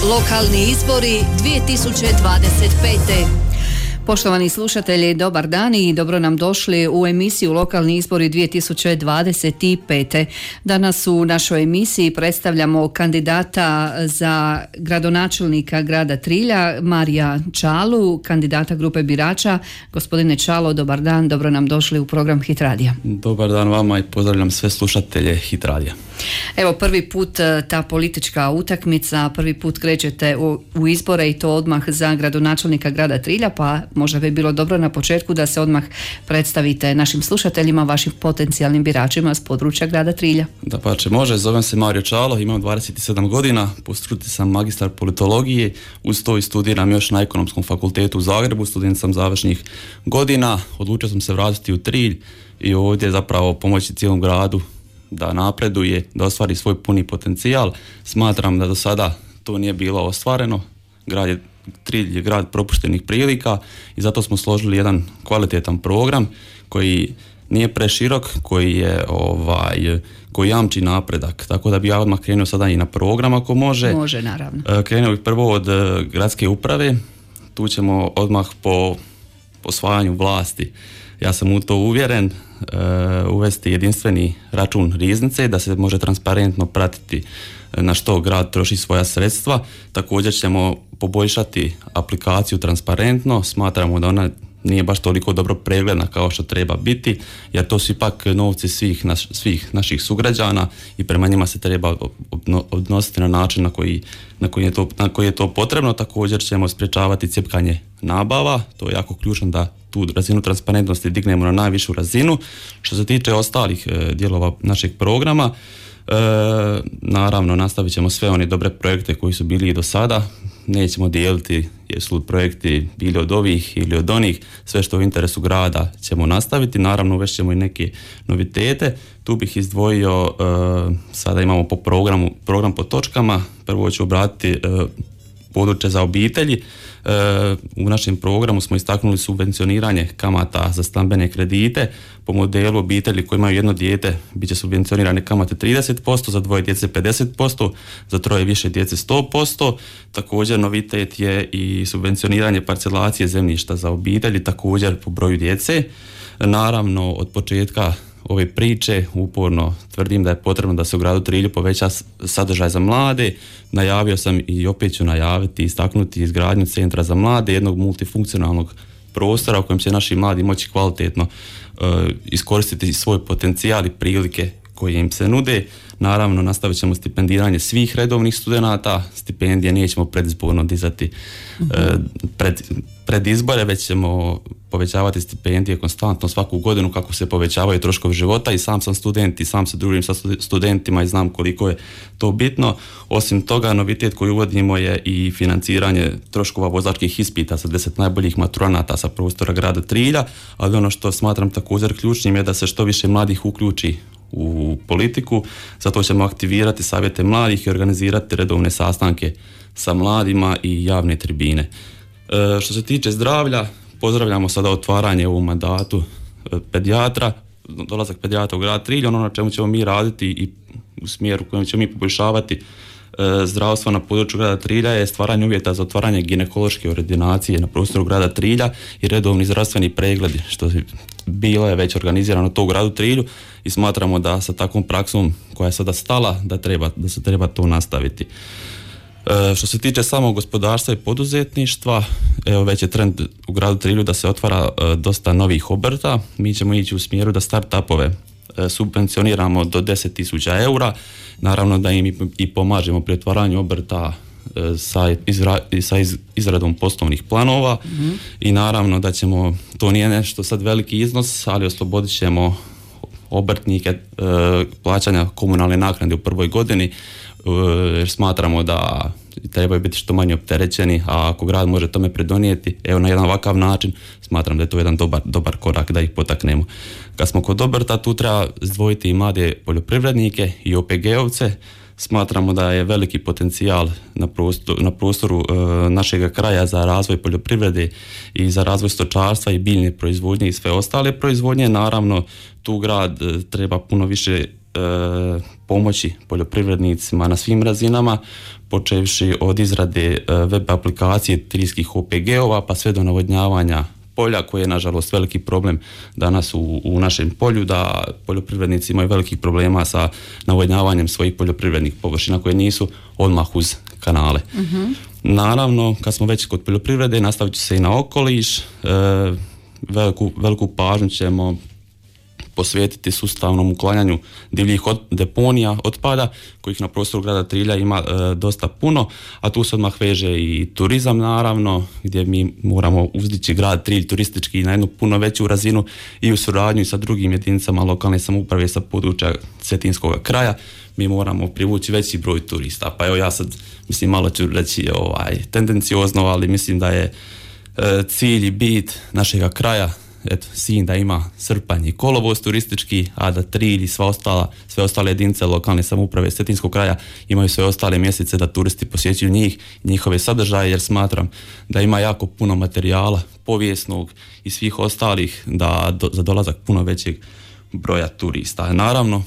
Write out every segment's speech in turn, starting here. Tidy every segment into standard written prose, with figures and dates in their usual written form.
Lokalni izbori 2025. Poštovani slušatelji, dobar dan i dobro nam došli u emisiju Lokalni izbori 2025. Danas u našoj emisiji predstavljamo kandidata za gradonačelnika grada Trilja, Marija Čalu, kandidata grupe birača. Gospodine Čalo, dobar dan, dobro nam došli u program Hit Radija. Dobar dan vama i pozdravljam sve slušatelje Hit Radija. Evo, prvi put ta politička utakmica, prvi put krećete u izbore i to odmah za gradonačelnika grada Trilja, pa možda bi bilo dobro na početku da se odmah predstavite našim slušateljima, vašim potencijalnim biračima s područja grada Trilja. Dapače, može, zovem se Mario Čalo, imam 27 godina, po struci sam magistar politologije, uz to i studiram još na Ekonomskom fakultetu u Zagrebu, student sam završnih godina, odlučio sam se vratiti u Trilj i ovdje zapravo pomoći cijelom gradu da napreduje, da ostvari svoj puni potencijal. Smatram da do sada to nije bilo ostvareno. Trilj je grad propuštenih prilika i zato smo složili jedan kvalitetan program koji nije preširok, koji jamči napredak. Tako da bi ja odmah krenuo sada i na program ako može. Može, naravno. Krenuo bih prvo od gradske uprave. Tu ćemo odmah po osvajanju vlasti, ja sam u to uvjeren, uvesti jedinstveni račun riznice da se može transparentno pratiti na što grad troši svoja sredstva. Također ćemo poboljšati aplikaciju transparentno, smatramo da ona nije baš toliko dobro pregledna kao što treba biti, jer to su ipak novci svih naših sugrađana i prema njima se treba odnositi na način na koji je to potrebno. Također ćemo sprječavati cjepkanje nabava, to je jako ključno da tu razinu transparentnosti dignemo na najvišu razinu. Što se tiče ostalih dijelova našeg programa, naravno nastavit ćemo sve one dobre projekte koji su bili i do sada, nećemo dijeliti jesu projekti bili od ovih ili od onih, sve što u interesu grada ćemo nastaviti, naravno uvešćemo i neke novitete. Tu bih izdvojio, sada imamo po program po točkama, prvo ću obratiti područje za obitelji. U našem programu smo istaknuli subvencioniranje kamata za stambene kredite. Po modelu obitelji koji imaju jedno dijete bit će subvencionirane kamate 30%, za dvoje djece 50%, za troje više djece 100%. Također novitet je i subvencioniranje parcelacije zemljišta za obitelji, također po broju djece. Naravno, od početka ove priče uporno tvrdim da je potrebno da se u gradu Trilju poveća sadržaj za mlade. Najavio sam i opet ću najaviti i istaknuti izgradnju centra za mlade, jednog multifunkcionalnog prostora u kojem će naši mladi moći kvalitetno iskoristiti svoj potencijal i prilike koje im se nude. Naravno, nastavit ćemo stipendiranje svih redovnih studenata, stipendije nećemo predizborno dizati pred izbore, već ćemo povećavati stipendije konstantno svaku godinu kako se povećavaju troškovi života. I sam sam student i sam se družim sa studentima i znam koliko je to bitno. Osim toga, novitet koji uvodimo je i financiranje troškova vozačkih ispita za 10 najboljih maturanata sa prostora grada Trilja, ali ono što smatram također ključnim je da se što više mladih uključi u politiku, zato ćemo aktivirati savjete mladih i organizirati redovne sastanke sa mladima i javne tribine. Što se tiče zdravlja, pozdravljamo sada otvaranje u mandatu pedijatra, dolazak pedijatra u grad Trilj. Ono na čemu ćemo mi raditi i u smjeru u kojem ćemo mi poboljšavati zdravstvo na području grada Trilja je stvaranje uvjeta za otvaranje ginekološke ordinacije na prostoru grada Trilja i redovni zdravstveni pregledi, što bilo je već organizirano to u gradu Trilju i smatramo da sa takvom praksom koja je sada stala da se treba to nastaviti. Što se tiče samog gospodarstva i poduzetništva, evo već je trend u gradu Trilju da se otvara dosta novih obrta. Mi ćemo ići u smjeru da start-upove subvencioniramo do 10.000 eura. Naravno da im i pomažemo pri otvaranju obrta sa izradom poslovnih planova. I naravno da ćemo, to nije nešto sad veliki iznos, ali oslobodit ćemo obrtnike plaćanja komunalne naknade u prvoj godini, jer smatramo da trebaju biti što manje opterećeni, a ako grad može tome pridonijeti, evo na jedan ovakav način, smatram da je to jedan dobar korak da ih potaknemo. Kad smo kod obrta, tu treba izdvojiti i mlade poljoprivrednike i OPG-ovce. Smatramo da je veliki potencijal na prostoru našeg kraja za razvoj poljoprivrede i za razvoj stočarstva i biljne proizvodnje i sve ostale proizvodnje. Naravno, tu grad treba puno više pomoći poljoprivrednicima na svim razinama, počevši od izrade web aplikacije triljskih OPG-ova pa sve do navodnjavanja polja, koje je nažalost veliki problem danas u našem polju, da poljoprivrednici imaju velikih problema sa navodnjavanjem svojih poljoprivrednih površina koje nisu odmah uz kanale. Naravno, kad smo već kod poljoprivrede, nastavit ću se i na okoliš. Veliku pažnju ćemo posvetiti sustavnom uklanjanju divljih deponija otpada, kojih na prostoru grada Trilja ima dosta puno, a tu se odmah veže i turizam naravno, gdje mi moramo uzdići grad Trilj turistički na jednu puno veću razinu i u suradnju sa drugim jedinicama lokalne samouprave sa područja cetinskog kraja. Mi moramo privući veći broj turista. Pa evo ja sad, mislim, malo ću reći tendenciozno, ali mislim da je cilj i bit našega kraja, eto, Sinj da ima srpanj i kolovoz turistički, a da Trilj i sve ostale jedinice lokalne samouprave cetinskog kraja imaju sve ostale mjesece da turisti posjećuju njih, njihove sadržaje, jer smatram da ima jako puno materijala povijesnog i svih ostalih za dolazak puno većeg broja turista. Naravno,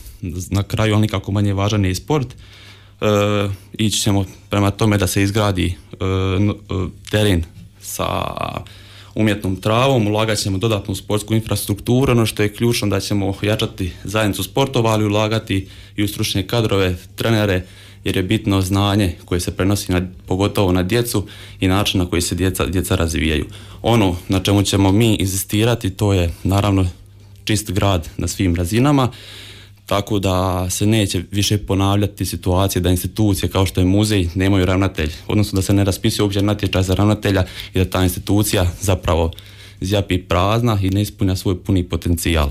na kraju, ali nikako manje važan je i sport. Ići ćemo prema tome da se izgradi teren sa umjetnom travom, ulagat ćemo dodatnu sportsku infrastrukturu, ono što je ključno da ćemo jačati zajednicu sportova, ali ulagati i u stručne kadrove, trenere, jer je bitno znanje koje se prenosi pogotovo na djecu i način na koji se djeca razvijaju. Ono na čemu ćemo mi inzistirati, to je naravno čist grad na svim razinama, tako da se neće više ponavljati situacije da institucije kao što je muzej nemaju ravnatelj, odnosno da se ne raspisuje uopće natječaj za ravnatelja i da ta institucija zapravo zjapi prazna i ne ispunja svoj puni potencijal.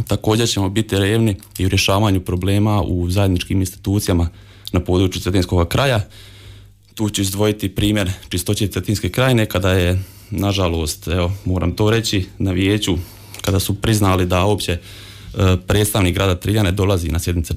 Također ćemo biti revni i u rješavanju problema u zajedničkim institucijama na području cetinskog kraja. Tu ću izdvojiti primjer čistoće Cetinske krajine, kada je, nažalost, evo, moram to reći, na vijeću, kada su priznali da uopće predstavnik grada Trilja ne dolazi na sjednice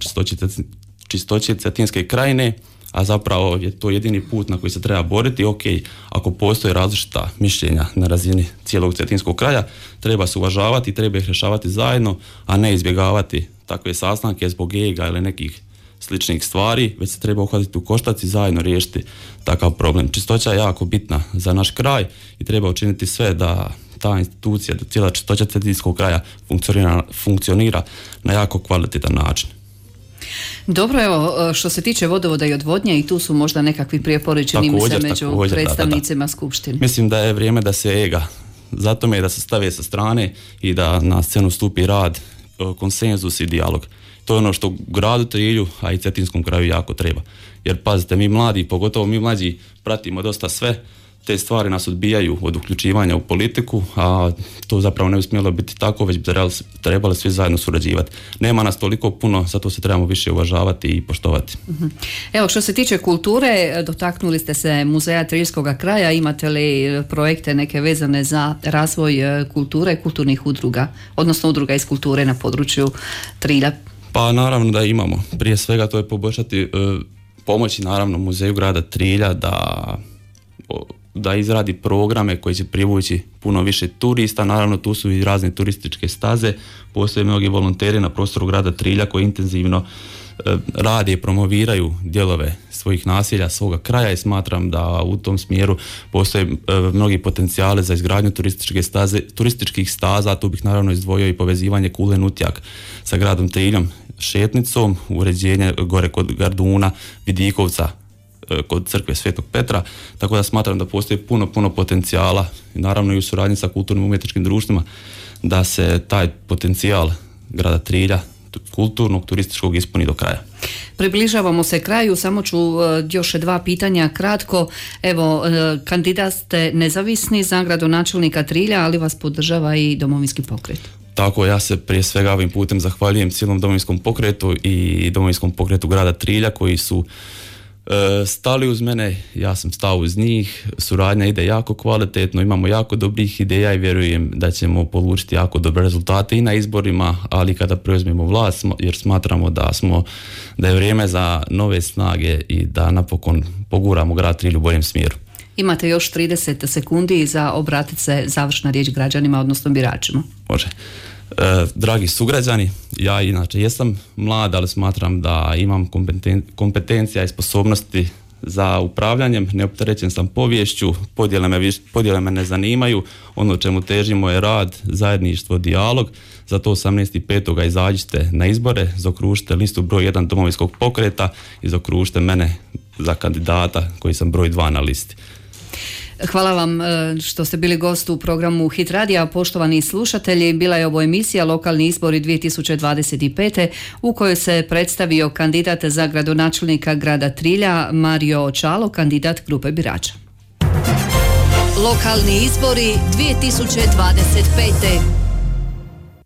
čistoće Cetinske krajine, a zapravo je to jedini put na koji se treba boriti. Ok, ako postoje različita mišljenja na razini cijelog cetinskog kraja, treba se uvažavati i treba ih rješavati zajedno, a ne izbjegavati takve sastanke zbog ega ili nekih sličnih stvari, već se treba uhvatiti u koštac i zajedno riješiti takav problem. Čistoća je jako bitna za naš kraj i treba učiniti sve da ta institucija, da cijela čistoća cetinskog kraja funkcionira na jako kvalitetan način. Dobro, evo, što se tiče vodovoda i odvodnje, i tu su možda nekakvi prijepori, čini mi se, među predstavnicima skupštine. Mislim da je vrijeme da se ega, zato me da se stave sa strane i da na scenu stupi rad, konsenzus i dijalog. To je ono što gradu Trilju, a i cetinskom kraju jako treba. Jer pazite, mi mladi, pogotovo mi mlađi, pratimo dosta sve, te stvari nas odbijaju od uključivanja u politiku, a to zapravo ne bi smjelo biti tako, već bi trebali svi zajedno surađivati. Nema nas toliko puno, zato se trebamo više uvažavati i poštovati. Evo, što se tiče kulture, dotaknuli ste se muzeja Triljskog kraja, imate li projekte neke vezane za razvoj kulture, kulturnih udruga, odnosno udruga iz kulture na području Trilja? Pa naravno da imamo. Prije svega to je pomoći naravno muzeju grada Trilja da izradi programe koji će privući puno više turista. Naravno tu su i razne turističke staze, postoje mnogi volonteri na prostoru grada Trilja koji intenzivno rade i promoviraju dijelove svojih naselja, svoga kraja, i smatram da u tom smjeru postoje mnogi potencijale za izgradnju turističkih staza. Tu bih naravno izdvojio i povezivanje Kule Nutjak sa gradom Triljom, šetnicom, uređenje gore kod Garduna, Vidikovca, kod crkve Svetog Petra, tako da smatram da postoji puno potencijala, naravno i u suradnji sa kulturnim umjetničkim društvima, da se taj potencijal grada Trilja, kulturnog, turističkog, ispuni do kraja. Približavamo se kraju, samo ću još 2 pitanja kratko. Evo, kandidat ste nezavisni za gradonačelnika Trilja, ali vas podržava i Domovinski pokret. Tako, ja se prije svega ovim putem zahvaljujem cijelom Domovinskom pokretu i Domovinskom pokretu grada Trilja koji su stali uz mene, ja sam stao uz njih, suradnja ide jako kvalitetno, imamo jako dobrih ideja i vjerujem da ćemo polučiti jako dobre rezultate i na izborima, ali kada preuzmemo vlast, jer smatramo da je vrijeme za nove snage i da napokon poguramo grad Trilj u boljem smjeru. Imate još 30 sekundi za obratiti se završna riječ građanima, odnosno biračima. Može. Dragi sugrađani, ja inače jesam mlad, ali smatram da imam kompetencija i sposobnosti za upravljanjem, neopterećen sam poviješću, podjele me ne zanimaju, ono čemu težimo je rad, zajedništvo, dijalog, zato 18.5. izađite na izbore, zaokružite listu broj 1 Domovinskog pokreta i zaokružite mene za kandidata koji sam broj 2 na listi. Hvala vam što ste bili gost u programu Hit Radija. Poštovani slušatelji, bila je ovo emisija Lokalni izbori 2025. u kojoj se predstavio kandidat za gradonačelnika grada Trilja Mario Čalo, kandidat grupe birača. Lokalni izbori 2025.